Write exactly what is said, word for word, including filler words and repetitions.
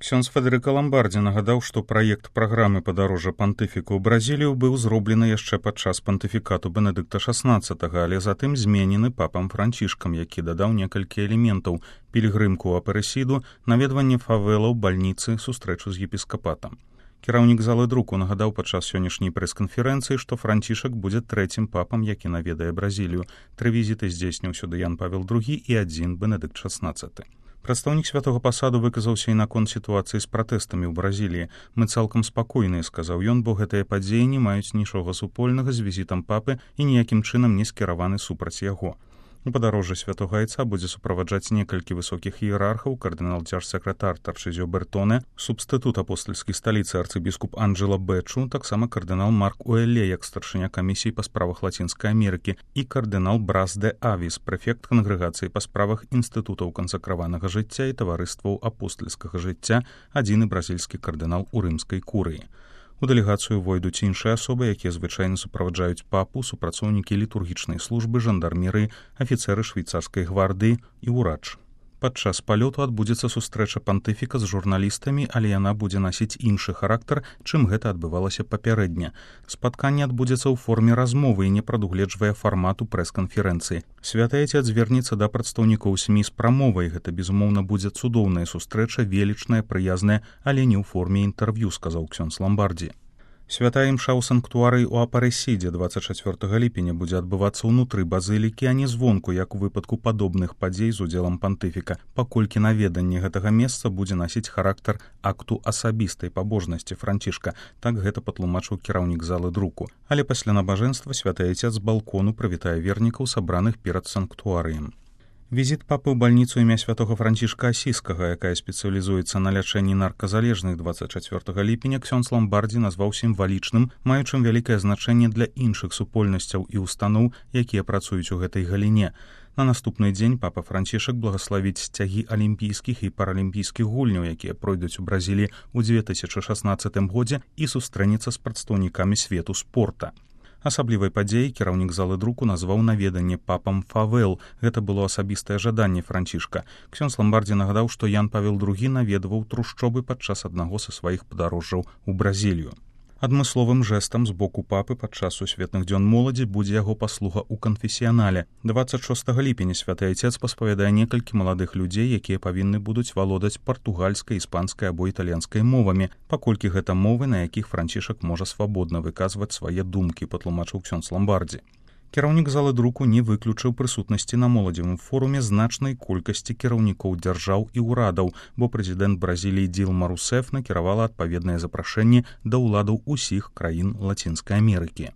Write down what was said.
Ксёндз Федэрыка Ламбардзі нагадаў, што праект праграмы падарожжа пантыфіка ў Бразілію быў зроблены яшчэ падчас пантыфікату Бенедыкта шаснаццатага, але затым зменены папам Францішкам, які дадаў некалькі элементаў: пілігрымку ў Апарэсіду, наведванне фавелаў, бальніцы, сустрэчу з епіскапатам. Кіраўнік залы друку нагадаў падчас сённяшняй прэс-канферэнцыі, што Францішак будзе трэцім папам, які наведае Бразілію. Тры візіты здзейсніў сюды Ян Павел другі і адзін Бенедыкт шаснаццаты. Прадстаўнік святога пасаду выказаўся і наконт сітуацыі з пратэстамі ў Бразіліі. «Мы цалкам спакойныя», — сказаў ён, «бо гэтыя падзеі не маюць нічога супольнага з візітам папы і ніякім чынам не скіраваны супраць яго». У падарожжы святога айца будзе суправаджаць некалькі высокіх іерархаў: кардынал дзяржсакратар Тарчызіо Бертоне, субстытут апостальскай сталіцы арцыбіскуп Анджела Бэчу, таксама кардынал Марк Уэлле, як старшыня камісіі па справах Лацінскай Амерыкі, і кардынал Брас де Авіс, прэфект кангрэгацыі па справах інстытутаў кансакраванага жыцця і таварыстваў апостальскага жыцця, адзіны бразільскі кардынал у рымскай курыі. У дэлегацыю войдуць іншыя асобы, якія звычайна суправаджаюць папу, супрацоўнікі літургічнай службы, жандармерыі, афіцэры швейцарскай гвардыі і ўрач. Падчас палёту адбудзецца сустрэча пантыфіка з журналістамі, але яна будзе насіць іншы характар, чым гэта адбывалася папярэдне. Спатканне адбудзецца ў форме размовы і не прадугледжвае фармату прэс-канферэнцыі. Святы айцец звернецца да прадстаўнікоў СМІ з прамовай. Гэта, безумоўна, будзе цудоўная сустрэча, велічная, прыязная, але не ў форме інтэрв'ю, сказаў ксёндз Ламбардзі. Святая імша ў санктуарыі ў Апарэсідзе дваццаць чацвёртага ліпеня будзе адбывацца ўнутры базылікі, а не звонку, як у выпадку падобных падзей з удзелам пантыфіка, паколькі наведанне гэтага месца будзе насіць характар акту асабістай пабожнасці Францішка. Так гэта патлумачыў кіраўнік залы друку. Але пасля набажэнства святы айцец з балкону прывітае вернікаў, сабраных перад санктуарыем. Візіт папы ў бальніцу імя святога Францішка Асіскага, якая спецыялізуецца на лячэнні нарказалежных, дваццаць чацвёртага ліпеня ксёндз Ламбардзі назваў сімвалічным, маючым вялікае значэнне для іншых супольнасцяў і устаноў, якія працуюць у гэтай галіне. На наступны дзень папа Францішак благаславіць сцягі алімпійскіх і паралімпійскіх гульняў, якія пройдуць у Бразіліі ў дзве тысячы шаснаццатым годзе, і сустрэнецца з прадстаўнікамі свету спорта. Асаблівай падзеяй кіраўнік залы друку назваў наведанне папам фавел. Гэта было асабістае жаданне Францішка. Ксёндз Ламбардзі нагадаў, што Ян Павел другі наведваў трушчобы падчас аднаго са сваіх падарожжаў у Бразілію. Адмысловым жэстам з боку папы падчас сусветных дзён моладзі будзе яго паслуга ў канфесіянале. дваццаць шостага ліпеня святы айцец паспавядае некалькі маладых людзей, якія павінны будуць валодаць партугальскай, іспанскай або італьянскай мовамі, паколькі гэта мовы, на якіх Францішак можа свабодна выказваць свае думкі, патлумачыў ксёндз Ламбардзі. Кіраўнік залы друку не выключыў прысутнасці на моладзевым форуме значнай колькасці кіраўнікоў дзяржаў і ўрадаў, бо прэзідэнт Бразіліі Дилма Русеф накіравала адпаведнае запрашэнне да ўладаў усіх краін Лацінскай Амерыкі.